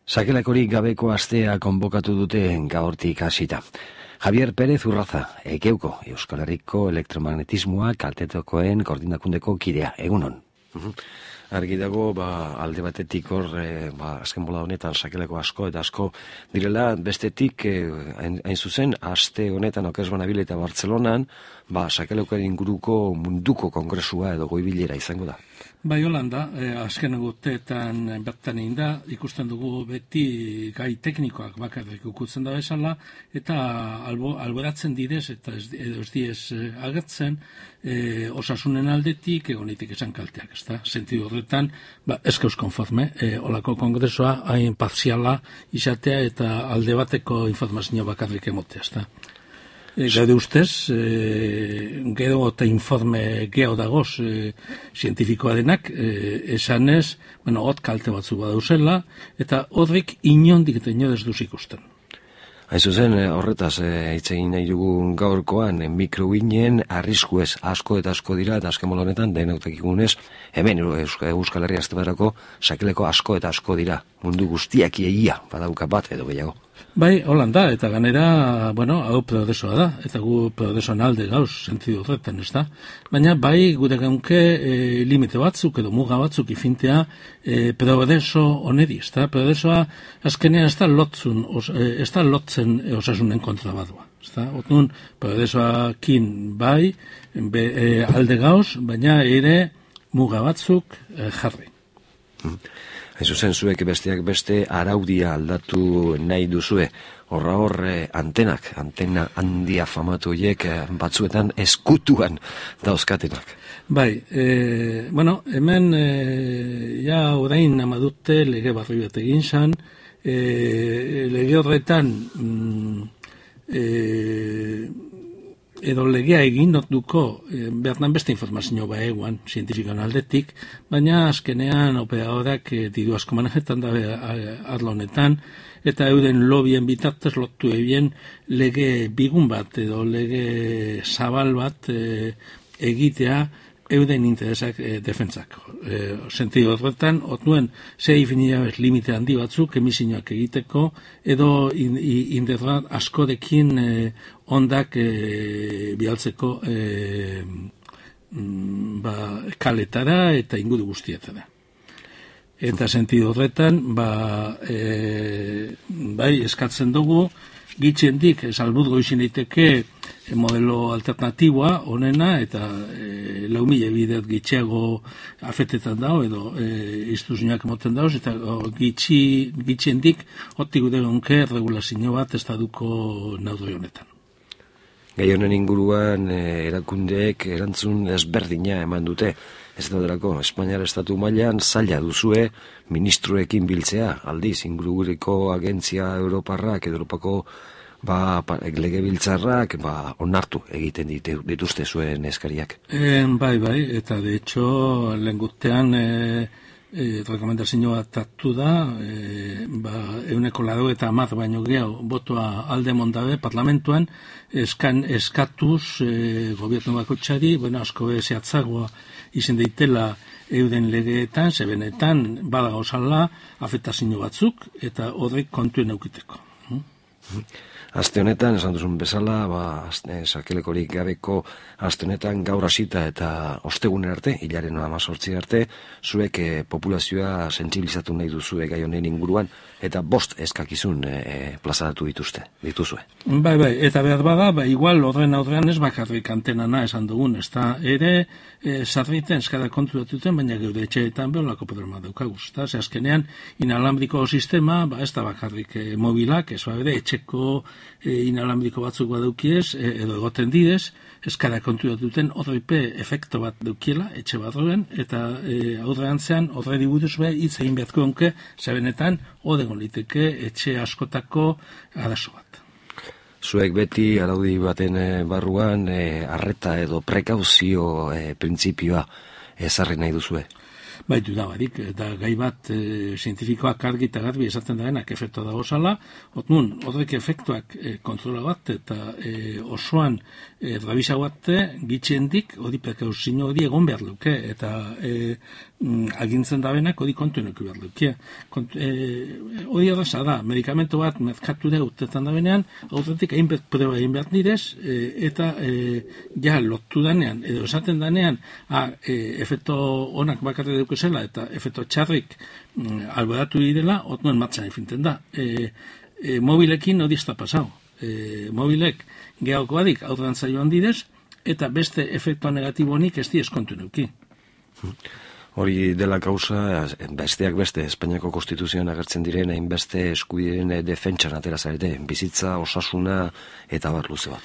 Sakelakorik gabeko astea konbokatu dute gaurtik hasita. Javier Pérez Urraza, Ekeuko, Euskal Herriko elektromagnetismoa kaltetokoen koordinakundeko kidea, egunon. Argi dago, alde batetik hor, azken bola honetan sakelako asko eta asko direla, bestetik, hain zuzen, aste honetan Okezbanabil eta Bartzelonan, sakelakoen inguruko munduko kongresua edo goibilera izango da. Bai, Holanda, azken eguteetan bertan egin da, ikusten dugu beti gai teknikoak bakarrik ukutzen da bezala, eta alboratzen direz, eta ez diez agertzen, osasunen aldetik, egonitik esan kalteak, ez da? Sentidu horretan, ez gauz konforme, holako kongresua hain partziala izatea eta alde bateko informazio bakarrik emotea, ez da? Gaude ustez, gero eta informe geho dagoz zientifikoa denak, esanez, hot kalte batzu badauzela, eta horrek inondik eta inodez duz ikusten. Hain zuzen, horretaz, hitz egin nahi dugu gaurkoan, mikroguinen arriskuez asko eta asko dira, eta azken bola honetan, denautak ikunez, hemen Euskal Herria aztebarako sakeleko asko eta asko dira, mundu guztiak egia, badauka bat edo gehiago. Bai, Holanda, eta ganera, hau progresoa da, eta gu progresoan alde gauz, sentidu horretan, ez da? Baina, bai, gure gaunke limite batzuk edo muga batzuk ifintea progreso onedi, ez da? Progresoa azkenean ez da lotzen osasunen kontra badua, ez da? Otun, progresoakin bai, alde gauz, baina ere muga batzuk jarri. Hain zuzen, zuek besteak beste araudia aldatu nahi duzue. Antena handia famatu horiek batzuetan eskutuan dauzkatenak. Bai, hemen ja orain amadute lege barri bat egin zan, lege horretan edo legea egin notuko bertan beste informazio eguan, zientifikoan aldetik, baina azkenean operadorak diru asko manejetan da arlo honetan, eta euden lobien bitartez lotu ebien lege bigun bat edo lege zabal bat egitea euden interesak defentzak. Sentidu horretan, otnuen ze definidabez limite handi batzuk emisinoak egiteko, edo internet askorekin ondak bialtzeko kaletara eta inguru guztietara. Eta sentidu horretan, bai, eskatzen dugu, gitxendik, salbuzgo izin daiteke modelo alternatiboa onena, eta 4.000 bideat gitxeago afetetan dago, edo iztuzinak moten dago, eta gitxendik hotik gure gonke regulazio bat estaduko naudri honetan. Gai honen inguruan erakundeek erantzun ezberdina eman dute. Ez daudelako, Espainiar estatu mailan zaila duzue ministroekin biltzea, aldiz, ingururiko agentzia Europarrak, edo Europako legebiltzarrak onartu egiten dituzte zuen eskariak. Bai, eta de hecho, lehen gutean rekomendazio bat hartu da, 180 baino gehiago botoa alde mondabe parlamentuan, eskatuz gobierno bakoitzari, asko zehatzagoa izan daitela euden legeetan, zebenetan badago zala afektazio batzuk, eta horrek kontuen eukiteko. Aste honetan, esan duzun bezala, sakelekorik gabeko aste honetan gaur hasita eta ostegunen arte, hilaren 18 arte, zuek populazioa sentsibilizatu nahi duzue gai honen inguruan, eta 5 eskakizun plazaratu dituzue. Bai, eta behar bada, igual horren aurrean ez bakarrik antenana esan dugun, ez da, ere, sarriten eskada kontu datuten, baina geure etxeetan beholako problema daukaguz, eta ze azkenean, inalambriko sistema, ez da bakarrik mobilak, ez bere, etxeko inalambriko batzuk badaukiez, edo egoten didez, eskada kontu datuten horreipe efekto bat daukiela, etxe barroen, eta aurrean horre diburuz hitz egin beharko onke, zebenetan, odegon liteke etxe askotako arazo bat. Zuek beti araudi baten barruan arreta edo prekauzio printzipioa ezarri nahi duzue? Baitu da barik, eta gai bat zientifikoak argi eta garbi esaten daenak efektua dago zala, horrek efektuak kontrola bat eta osoan rabisa bat gitxendik, hori prekauzio hori egon behar luke, eta agintzen dabenak hori kontu enoki behar luke. Hori erraza da, medikamentu bat merkatu da urtetan dabenean, horretik hainbet proba egin behar direz, eta ja lotu danean, edo esaten danean, efektu onak bakarri deukezela, eta efektu txarrik alboratu direla, otnuen martxan efinten da. Mobilekin hori ez da pasau. Mobilek gehaoko badik aurran zaioan direz, eta beste efektua negatibonik ez di eskontu neuki. Hori dela kausa, besteak beste, Espainiako Konstituzioan agertzen diren, hainbeste eskubideen defentsan atera zarete, bizitza, osasuna, eta bar luze bat.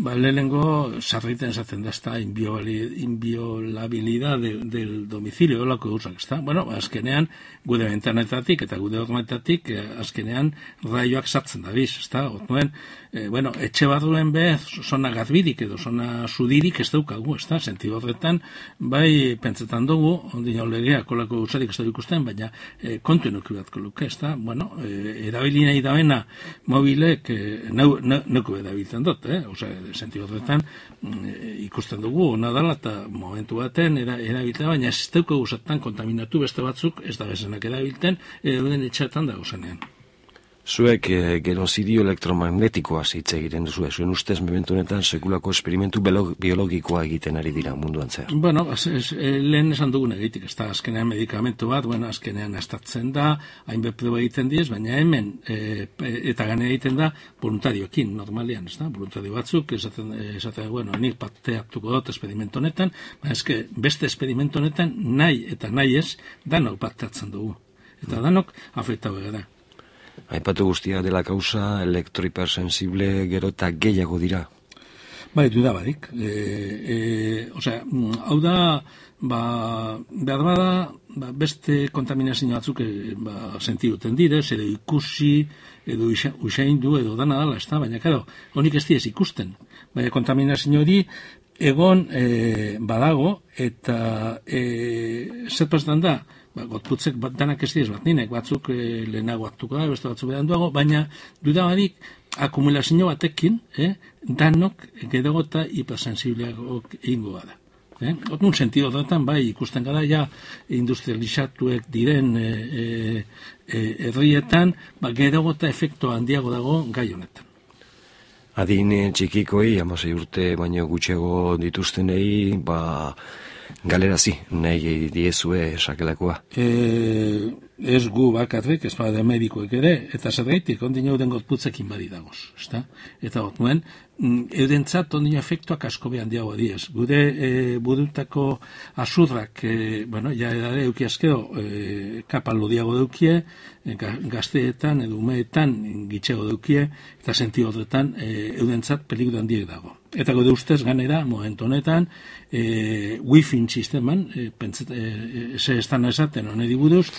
Lehenengo, sarriten esaten da, ezta, inviolabilidad del domicilio, olako gauzak, ezta? Bueno, azkenean, gude bentanetatik eta gude hormetatik, azkenean, raioak sartzen da biz, ezta? Otnuen, etxe barruen bez, zona garbidik edo zona sudirik ez daukagu, ezta? Sentido horretan, bai, pentsetan dugu, ondino legea kolako usarik ez da ikusten, baina kontu enoki batko luke, ezta? Bueno, erabili nahi daena mobilek neuko erabiltzen dut, sentido horretan ikusten dugu, nadala eta momentu baten erabiltzen, baina ez daukagu zatan kontaminatu beste batzuk, ez da bezenak erabiltzen, den etxetan dago zenean. Zuek genozidio elektromagnetikoa hitz egiten duzu, zuen ustez momentu honetan sekulako esperimentu biologikoa egiten ari dira munduan zehar. Bueno, lehen esan dugun egitik, ez da azkenean medikamentu bat, azkenean astatzen da, hainbet proba egiten diez, baina hemen eta gane egiten da voluntarioekin, normalian, ez da, voluntario batzuk, esaten, nik parte hartuko dut esperimentu honetan, baina eske beste esperimentu honetan nahi eta nahi ez, danok parte hartzen dugu, eta danok afektau gara. Aipatu guztia dela kausa, elektrohipersensible gero eta gehiago dira. Duda barik. Hau da, behar bada, beste kontaminazio batzuk sentiduten direz, edo ikusi, edo usaindu, edo dana dala, ez da, baina, karo, honik ez diez ikusten. Baina kontaminazio hori egon badago, eta zer pastan da, gotputzek danak ez diez bat ninek, batzuk lehenago hartuko da, beste batzuk beranduago, baina duda barik akumulazio batekin, danok gedago eta hipersensibleak egingo da. Otnun sentido horretan, ikusten gara, ja industrializatuek diren herrietan, gedago eta efektu handiago dago gai honetan. Adin txikikoi, 16 urte baino gutxego dituztenei, galerazi nahi diezue sakelakoa. Ez gu bakarrik, ez bada medikoek ere, eta zergaitik ondino den gotputzekin bari dagoz, ezta? Eta otnuen, eurentzat ondino efektuak asko behan diago diez. Gude burutako azurrak, ja edare euki azkero, kapalo diago deukie, gazteetan edo umeetan gitxego deukie, eta senti horretan eurentzat peligro handiek dago. Eta gode ustez ganera, momentu honetan, wifi sisteman, ze estan esaten honedi buruz,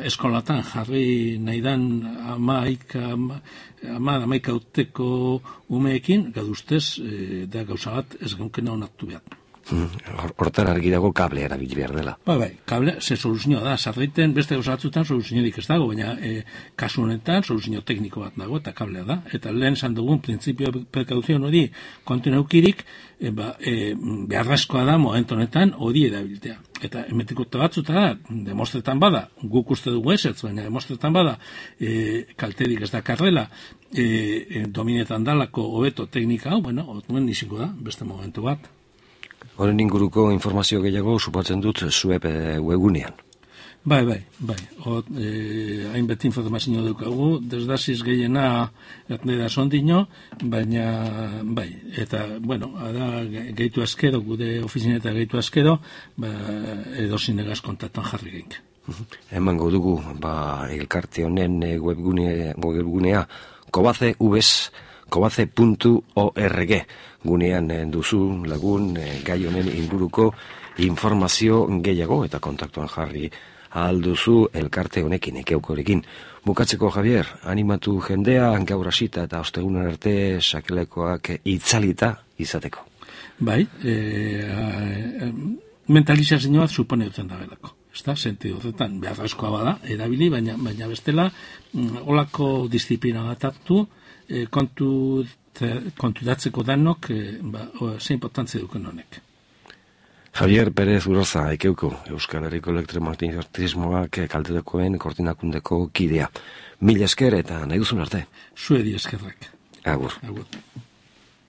eskolatan jarri nahi dan amaika urteko umeekin, gade ustez, da gauza bat ez gaukena onartu behar. Hortan argi dago kable erabili behar dela. Kable, ze soluzioa da, sarriten beste gauza batzutan soluziorik ez dago, baina kasu honetan soluzio tekniko bat dago, eta kablea da. Eta lehen esan dugun, printzipio prekauzion hori kontinaukirik, beharrezkoa da momentu honetan hori erabiltea. Eta emetikuta batzuta da, demostretan bada, guk uste dugu ezetz, baina demostretan bada, kalterik ez da karrela, dominetan dalako hobeto teknika hau, otnuen niziko da, beste momentu bat. Horren inguruko informazio gehiago supatzen dut zuep webgunean. Bai. Hainbet informazio dukagu, desdaziz gehiena etnera sondino, baina bai. Eta, ara gehitu azkero, gude ofizineta gehitu azkero, edozin egaz kontaktan jarri geink. Emango dugu, elkarte honen webgunea, kobace.org gunean duzu lagun gai honen inguruko informazio gehiago eta kontaktuan jarri ahal duzu elkarte honekin, ekeukorekin. Bukatzeko, Javier, animatu jendea gaur hasita eta ostegunen arte sakelekoak itzalita izateko. Bai, mentalizazioa supone dutzen da belako. Ez da, sentido horretan, behar askoa bada, erabili, baina bestela, olako disiplina bat hartu, konturatzeko danok, zein importantzia duken honek. Javier Pérez Urroza, ekeuko, Euskal Herriko elektromagnetismoak kaltetakoen koordinakundeko kidea. Mila esker eta nahi duzun arte. Zuedi eskerrak. Agur. Agur.